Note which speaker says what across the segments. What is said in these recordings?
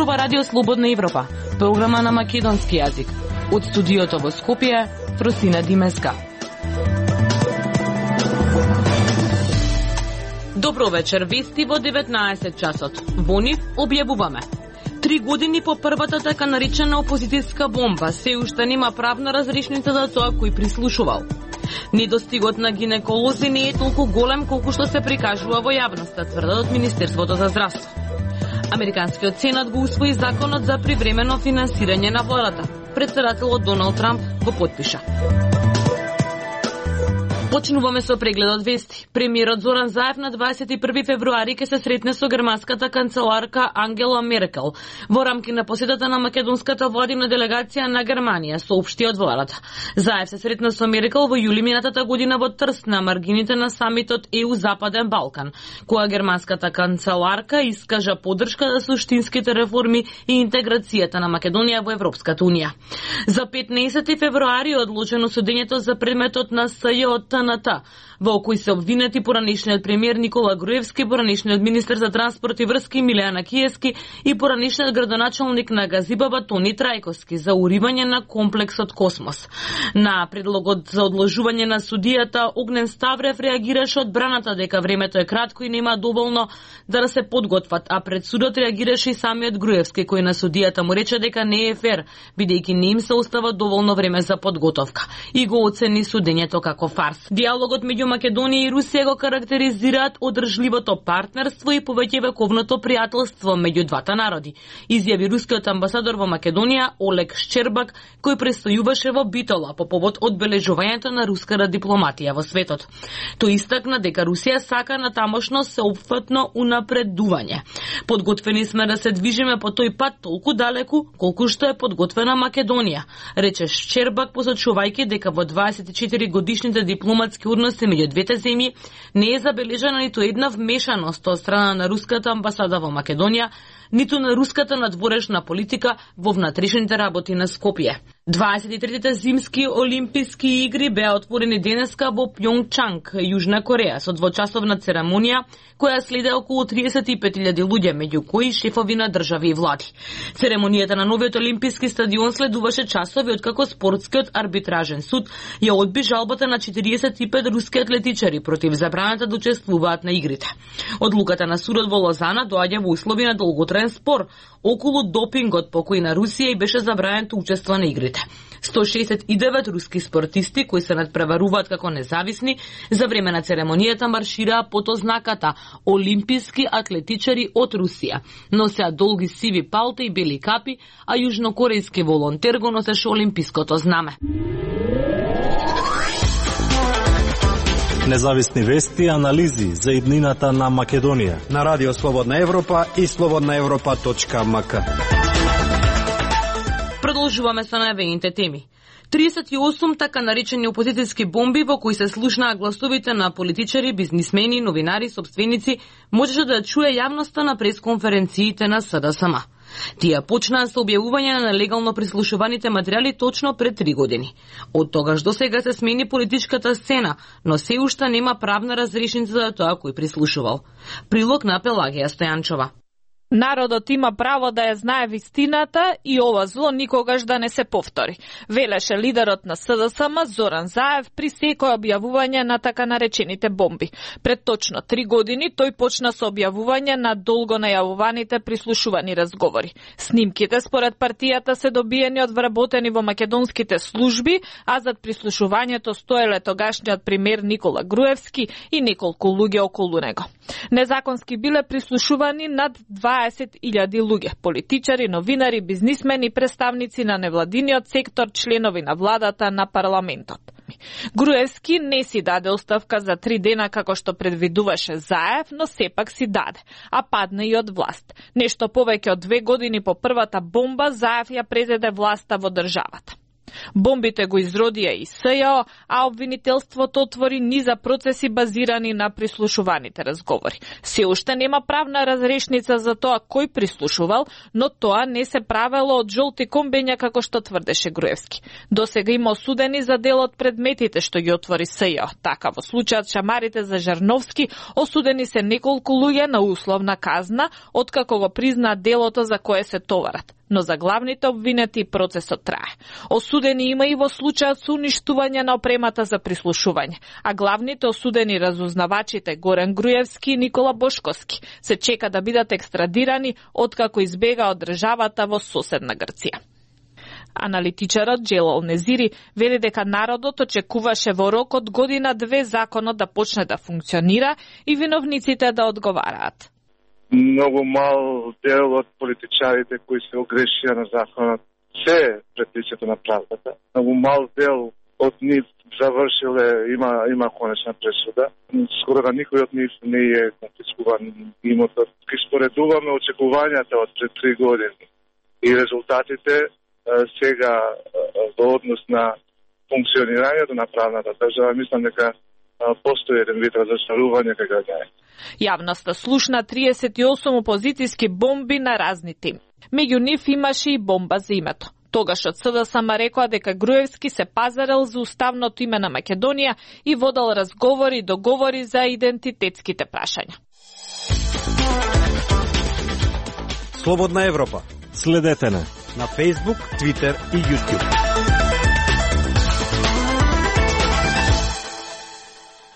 Speaker 1: ова Радио Слободна Европа, програма на македонски јазик. Од студиото во Скопје, Фросина Димеска. Добро вечер, вести во 19 часот. Во нив објавуваме. 3 години по првата така наречена опозицијска бомба, се уште нема правна разрешница за тоа кој прислушувал. Недостигот на гинеколози не е толку голем колку што се прикажува во јавноста, тврдат од Министерството за здравство. Американскиот сенат го усвои законот за привремено финансирање на владата. Претседателот Доналд Трамп го потпиша. Почнуваме со прегледот вести. Премиерот Зоран Заев на 21 февруари ќе се сретне со германската канцеларка Ангела Меркел во рамки на посетата на македонската владина делегација на Германија, соопшти од владата. Заев се сретна со Меркел во јули минатата година во Трст на маргините на самитот ЕУ Западен Балкан, која германската канцеларка искажа поддршка за суштинските реформи и интеграцијата на Македонија во Европската унија. За 15 февруари одлучено судењето за предметот на СЈ од ТНТ, во кој се обвинети поранешниот премиер Никола Груевски, поранешниот министер за транспорт и врски Милијана Киевски и поранешниот градоначалник на Газибаба Тони Трајковски за уривање на комплексот Космос. На предлогот за одложување на судијата Огнен Ставрев реагираше одбраната дека времето е кратко и нема доволно да се подготват, а пред судот реагираше и самиот Груевски, кој на судијата му рече дека не е фер, бидејќи не им се остава доволно време за подготовка и го оцени судењето како фарс. Диалогот меѓу Македонија и Русија го карактеризираат одржливото партнерство и повеќевековното пријателство меѓу двата народи, изјави рускиот амбасадор во Македонија Олег Шчербак, кој престојуваше во Битола по повод одбележувањето на руската дипломатија во светот. Тој истакна дека Русија сака на тамошно сеопфатно унапредување. Подготвени сме да се движиме по тој пат толку далеку колку што е подготвена Македонија, рече Шчербак, посочувајќи дека во 24 годишните дипломатски односи меѓу двете земји не е забележана ниту една вмешаност од страна на руската амбасада во Македонија, ниту на руската надворешна политика во внатрешните работи на Скопје. 23-те зимски олимписки игри беа отворени денеска во Пјонгчанг, Јужна Кореја, со двочасовна церемонија која следе околу 35.000 луѓе, меѓу кои шефови на држави и влади. Церемонијата на новиот олимписки стадион следуваше часови откако спортскиот арбитражен суд ја одби жалбата на 45 руски атлетичари против забраната да учествуваат на игрите. Одлуката на судот во Лозана доаѓа во услови на долготраен спор околу допингот по кој на Русија и беше забранено учество на игрите. 169 руски спортисти кои се надпреваруваат како независни за време на церемонијата маршираа под ознаката олимписки атлетичари од Русија. Носеа долги сиви палта и бели капи, а јужнокорејски волонтер го носеше олимпиското знаме.
Speaker 2: Независни вести и анализи за иднината на Македонија
Speaker 3: на Радио Слободна Европа и slobodnaevropa.mk.
Speaker 1: Продолжуваме со најавените теми. 38 така наречени опозицијски бомби во кои се слушнаа гласовите на политичари, бизнисмени, новинари, сопственици, можеше да чуе јавноста на пресконференциите на СДСМ. Тие почнаа со објавување на нелегално прислушуваните материјали точно пред 3 години. Од тогаш до сега се смени политичката сцена, но се уште нема правна разрешница за тоа кој прислушувал. Прилог на Пелагија Стојанчова.
Speaker 4: Народот има право да ја знае вистината и ова зло никогаш да не се повтори, велеше лидерот на СДСМ Зоран Заев при секој објавување на така наречените бомби. Пред точно 3 години тој почна со објавување на долго најавуваните прислушувани разговори. Снимките според партијата се добиени од вработени во македонските служби, а зад прислушувањето стоеле тогашниот премиер Никола Груевски и неколку луѓе околу него. Незаконски биле прислушувани над 20.000 луѓе, политичари, новинари, бизнисмени, представници на невладиниот сектор, членови на владата, на парламентот. Груевски не си даде оставка за 3 дена како што предвидуваше Заев, но сепак си даде, а падна и од власт. Нешто повеќе од 2 години по првата бомба, Заев ја презеде власта во државата. Бомбите го изродија и СЈО, а обвинителството отвори низа процеси базирани на прислушуваните разговори. Се уште нема правна разрешница за тоа кој прислушувал, но тоа не се правело од жолти комбења како што тврдеше Груевски. Досега има осудени за дел од предметите што ги отвори СЈО. Така во случајот шамарите за Жарновски осудени се неколку луѓе на условна казна, откако го признаа делото за кое се товарат. Но за главните обвинети процесот трае. Осудени има и во случајот со уништување на опремата за прислушување, а главните осудени разузнавачите Горан Груевски и Никола Бошковски се чека да бидат екстрадирани откако избега од државата во соседна Грција. Аналитичарот Джелал Незири вели дека народот очекуваше во рок од година-две законот да почне да функционира и виновниците да одговараат.
Speaker 5: Многу мал дел од политичарите кои се огрешија на законот се пред лицето на правдата. Многу мал дел од нив завршиле, има конечна пресуда. Скоро да никој од нив не е конфискуван имотот. Ки споредуваме очекувањата од пред 3 години и резултатите сега во однос на функционирањето на правната држава, мислам дека постои еден вид разочарување кај граѓаните.
Speaker 4: Јавноста слушна 38 опозицијски бомби на разни теми. Меѓу нив имаше и бомба за името. Тогаш од СДСМ рекоа дека Груевски се пазарел за уставното име на Македонија и водел разговори и договори за идентитетските прашања.
Speaker 3: Слободна Европа.
Speaker 2: Следете не
Speaker 3: на Facebook, Twitter и YouTube.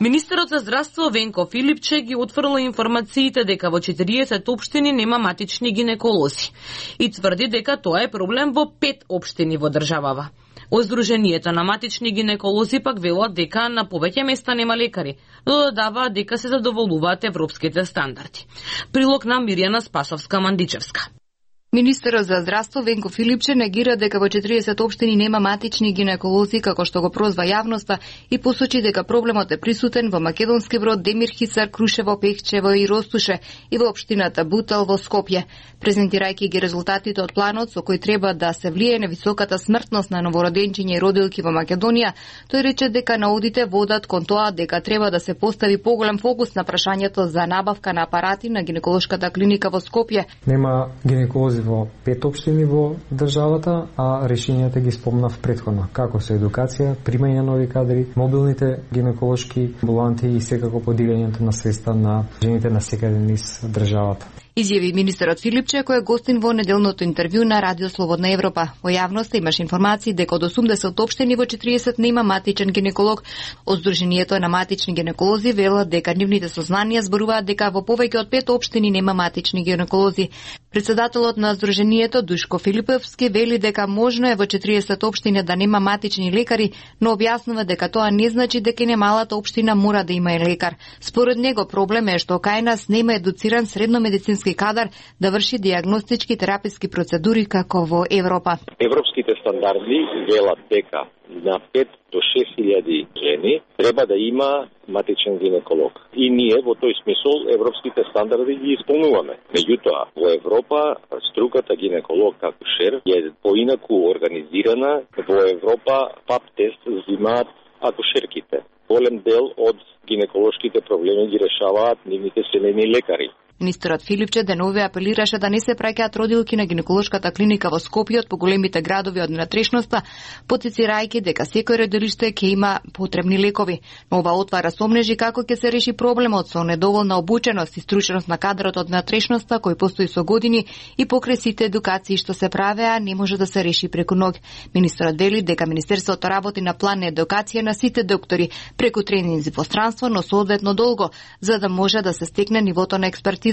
Speaker 1: Министерот за здравство Венко Филипче ги отфрла информациите дека во 40 општини нема матични гинеколози и тврди дека тоа е проблем во 5 општини во државава.Оздруженијето на матични гинеколози пак велат дека на повеќе места нема лекари, но додаваат дека се задоволуваат европските стандарди. Прилог на Мирјана Спасовска-Мандичевска.
Speaker 6: Министерот за здравство Венко Филипче негира дека во 40 општини нема матични гинеколози, како што го прозва јавноста, и посочи дека проблемот е присутен во Македонски Брод, Демир Хисар, Крушево, Пехчево и Ростуше и во општината Бутал во Скопје. Презентирајќи ги резултатите од планот со кој треба да се влие на високата смртност на новороденчиња и родилки во Македонија, тој рече дека наудите водат кон тоа дека треба да се постави поголем фокус на прашањето за набавка на апарати на гинеколошката клиника во Скопје.
Speaker 7: Нема гинеколози во 5 општини во државата, а решенијата ги спомнав претходно, како со едукација, примање на нови кадри, мобилните гинеколошки амбуланти и секако подилењето на средства на жените на секаде низ државата.
Speaker 6: Изјави министерот Филипче, кој е гостин во неделното интервју на Радио Слободна Европа. Во јавноста имаш информации дека од 80 општини во 40 нема матичен гинеколог.Оздруженијето на матични гинеколози велат дека нивните сознанија зборуваат дека во повеќе од 5 општини нема матични гинеколози. Председателот на Сдруженијето Душко Филиповски вели дека можно е во 40 општини да нема матични лекари, но објаснува дека тоа не значи дека немалата општина мора да има и лекар. Според него проблем е што кај нас нема едуциран средномедицински кадар да врши дијагностички тераписки процедури како во Европа.
Speaker 8: Европските стандарди велат дека на 5 до 6.000 жени треба да има матичен гинеколог. И ние во тој смисол европските стандарди ги исполнуваме. Меѓутоа, во Европа струката гинеколог акушер е поинаку организирана. Во Европа ПАП тест взимаат акушерките. Голем дел од гинеколошките проблеми ги решаваат нивните семејни лекари.
Speaker 6: Министерот Филипче денове апелираше да не се праќаат родилки на гинеколошката клиника во Скопје од поголемите градови од внатрешноста, потицирајќи дека секој родилиште ќе има потребни лекови. Но ова отвара сомнежи како ќе се реши проблемот со недоволна обученост и стручност на кадрот од внатрешноста кој постои со години и покрај сите едукации што се правеа не може да се реши преку ноќ. Министерот вели дека министерството работи на план на едукација на сите доктори преку тренинзи во странство, но соодветно долго, за да може да се стекне нивото на експертизата,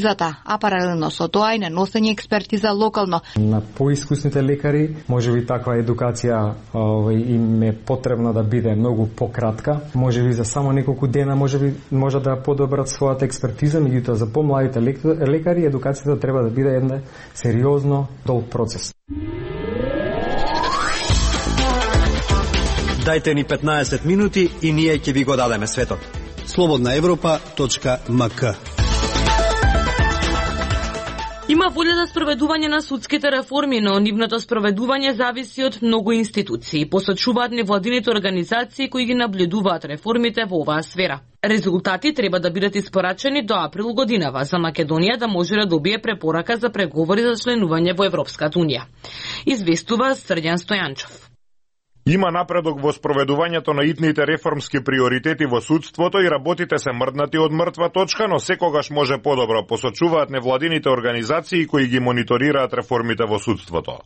Speaker 6: а паралелно со тоа и на носење експертиза локално.
Speaker 7: На поискусните лекари можеби таква едукација им е потребна да биде многу пократка, можеби за само неколку дена може да подобрат својата експертиза, меѓутоа за помладите лекари едукацијата треба да биде една сериозно долг процес.
Speaker 3: Дајте ни 15 минути и ние ќе ви го дадеме светот.
Speaker 9: Слободна Европа.мк
Speaker 1: Има волја за спроведување на судските реформи, но нивното спроведување зависи од многу институции, посочуваат невладините организации кои ги наблюдуваат реформите во оваа сфера. Резултати треба да бидат испорачени до април годинава за Македонија да може да добие препорака за преговори за членување во Европската унија. Известува Срđan Стојанчов.
Speaker 9: Има напредок во спроведувањето на итните реформски приоритети во судството и работите се мрднати од мртва точка, но секогаш може подобро, посочуваат невладините организации кои ги мониторираат реформите во судството.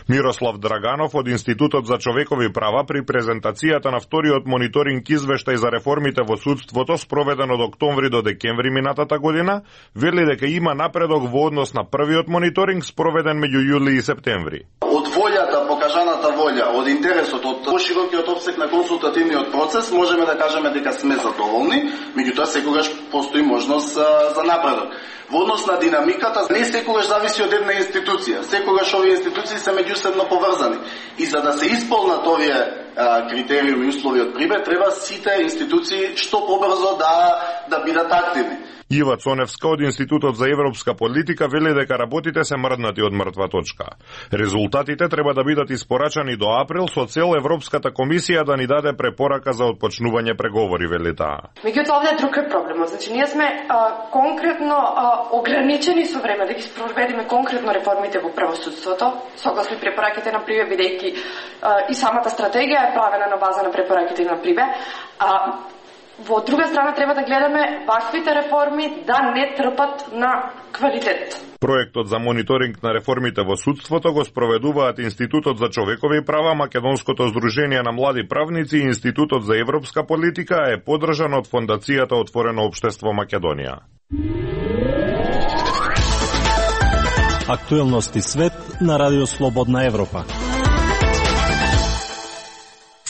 Speaker 9: Мирослав Драганов од Институтот за човекови права при презентацијата на вториот мониторинг извештај за реформите во судството спроведен од октомври до декември минатата година, вели дека има напредок во однос на првиот мониторинг спроведен меѓу јули и септември.
Speaker 10: Од волјата, покажаната волја, од интересот, од поширокиот опсег на консултативниот процес, можеме да кажеме дека сме задоволни, меѓутоа секогаш постои можност за напредок. Во однос на динамиката, не секогаш зависи од една институција, секогаш овие институции се меѓусебно поврзани. И за да се исполнат овие критериуми и услови од прибе, треба сите институции што побрзо да бидат активни.
Speaker 9: Ива Цоневска од Институтот за европска политика вели дека работите се мрднати од мртва точка. Резултатите треба да бидат испорачани до април со цел Европската комисија да ни даде препорака за отпочнување преговори, вели таа.
Speaker 11: Меѓутоа овде друг е проблемот. Значи ние сме конкретно ограничени со време да ги спроведеме конкретно реформите во правосудството, согласно препораките на Прибе, бидејќи и самата стратегија е правена на база на препораките на Прибе. Во друга страна треба да гледаме ваквите реформи да не трпат на квалитет.
Speaker 9: Проектот за мониторинг на реформите во судството го спроведуваат Институтот за човекови права, Македонското здружение на млади правници и Институтот за европска политика, е поддржан од Фондацијата Отворено општество Македонија.
Speaker 2: Актуелности свет на Радио Слободна Европа.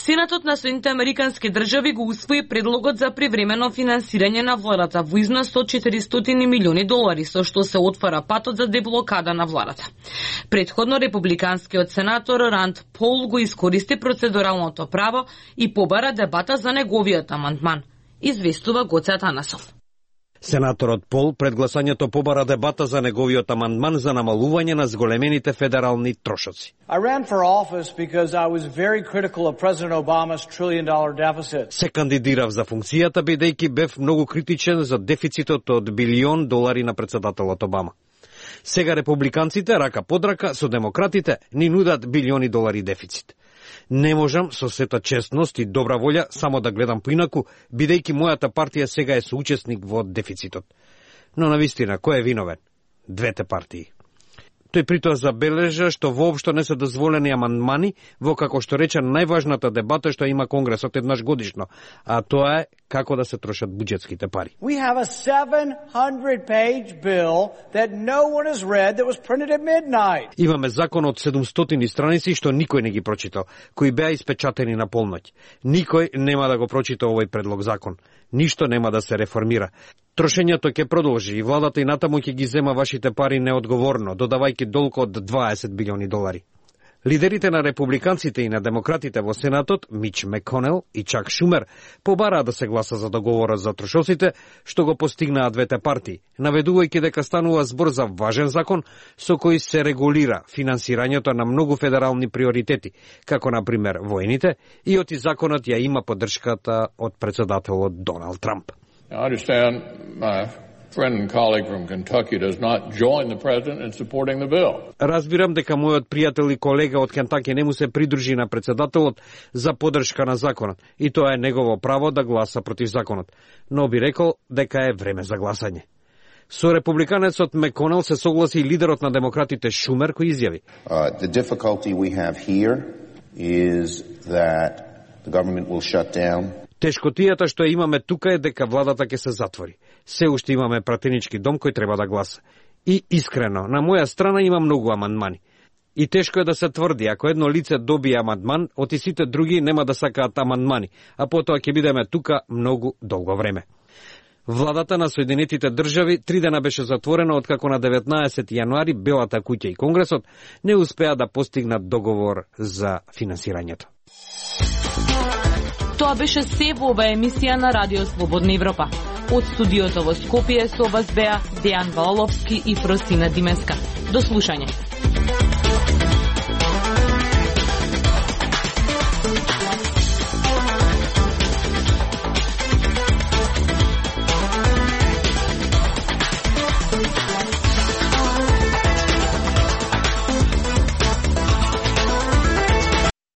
Speaker 1: Сенатот на Соединетите Американски држави го усвои предлогот за привремено финансирање на владата во износ од $400 милиони, со што се отвара патот за деблокада на владата. Претходно републиканскиот сенатор Ранд Пол го искористи процедуралното право и побара дебата за неговиот амандман. Известува Гоце Атанасов.
Speaker 3: Сенаторот Пол пред гласањето побара дебата за неговиот амандман за намалување на зголемените федерални трошоци.
Speaker 12: I ran for office because I was very critical of President Obama's $1 trillion deficit.
Speaker 3: Се кандидирав за функцијата бидејќи бев многу критичен за дефицитот од $1 билион на претседателот Обама. Сега републиканците рака под рака со демократите ни нудат $билиони дефицит. Не можам со сета честност и добра волја само да гледам поинаку, бидејќи мојата партија сега е соучесник во дефицитот. Но навистина, кој е виновен? Двете партии. Тој притоа забележа што воопшто не се дозволени амандмани во, како што рече, најважната дебата што има Конгресот еднаш годишно, а тоа е како да се трошат буџетските пари.
Speaker 12: We have a 700-page bill that no one has read that was printed at midnight.
Speaker 3: Имаме закон од 700 страници што никој не ги прочитал, кои беа испечатени на полноќ. Никој нема да го прочита овој предлог закон. Ништо нема да се реформира. Трошењето ќе продолжи и владата и натаму ќе ги зема вашите пари неодговорно, додавајќи долг од $20 билиони. Лидерите на републиканците и на демократите во Сенатот, Мич Маконел и Чак Шумер, побараа да се гласа за договорот за трошоците, што го постигнаа двете партии, наведувајќи дека станува збор за важен закон со кој се регулира финансирањето на многу федерални приоритети, како например воените, и оти законот ја има поддршката од претседателот Доналд Трамп.
Speaker 13: I understand my friend and colleague from Kentucky does not join the president in supporting the bill.
Speaker 3: Разбирам дека мојот пријател и колега од Кентаки не му се придружи на претседателот за поддршка на законот, и тоа е негово право да гласа против законот, но би рекол дека е време за гласање. Со републиканецот Маконел се согласи и лидерот на демократите Шумер, кој изјави:
Speaker 14: The difficulty we have here is that the government will shut down.
Speaker 3: Тешкотијата што имаме тука е дека владата ќе се затвори. Се уште имаме пратенички дом кој треба да гласа. И искрено, на моја страна има многу амандмани. И тешко е да се тврди, ако едно лице добие амандман, оти сите други нема да сакаат амандмани, а потоа ќе бидеме тука многу долго време. Владата на Соединетите држави 3 дена беше затворена откако на 19 јануари Белата куќа и Конгресот не успеа да постигнат договор за финансирањето.
Speaker 1: Тоа беше се во оваа емисија на Радио Слободна Европа. Од студиото во Скопје со вас беа Дејан Валовски и Фросина Димеска. До слушање.